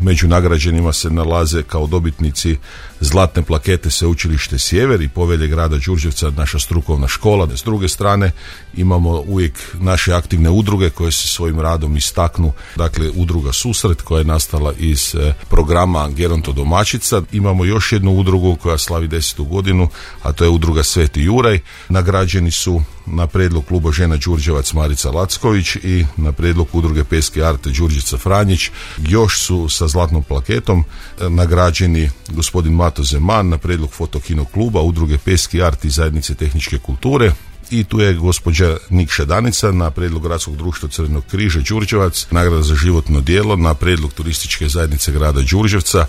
Među nagrađenima se nalaze kao dobitnici zlatne plakete Sveučilište Sjever i Povelje grada Đurđevca, naša strukovna škola. S druge strane imamo uvijek naše aktivne udruge koje se svojim radom istaknu. Dakle, udruga Susret koja je nastala iz programa Gerontodomaćica. Imamo još jednu udrugu koja slavi 10. godinu, a to je udruga Sveti Juraj. Nagrađeni su na prijedlog kluba žena Đurđevac Marica Lacković i na prijedlog udruge Peske Arte Đurđica Franjić. Još su sa zlatnom plaketom nagrađeni gospodin Mato Zeman na prijedlog Fotokino kluba, udruge Peski Art i zajednice tehničke kulture. I tu je gospođa Nikša Danica na prijedlog Gradskog društva Crvenog križa Đurđevac, nagrada za životno djelo na prijedlog turističke zajednice grada Đurđevca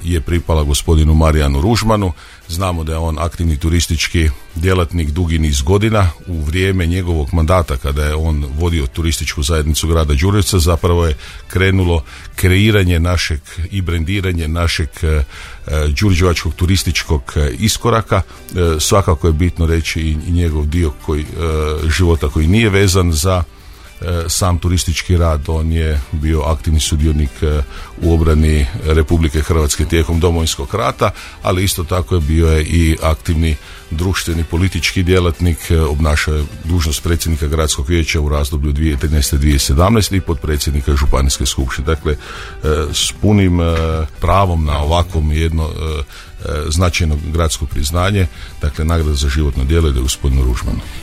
je pripala gospodinu Marijanu Ružmanu. Znamo da je on aktivni turistički djelatnik dugi niz godina. U vrijeme njegovog mandata kada je on vodio turističku zajednicu grada Đurđevca zapravo je krenulo kreiranje našeg i brendiranje našeg đurđevačkog turističkog iskoraka. Svakako je bitno reći i njegov dio života koji nije vezan za sam turistički rad. On je bio aktivni sudionik u obrani Republike Hrvatske tijekom Domovinskog rata, ali isto tako je bio je i aktivni društveni politički djelatnik, obnašao je dužnost predsjednika gradskog vijeća u razdoblju 2013-2017 i potpredsjednika županijske skupštine. Dakle, s punim pravom na ovakvom jedno značajno gradsko priznanje, dakle nagrada za životno djelo ide gospodinu Ružmanu.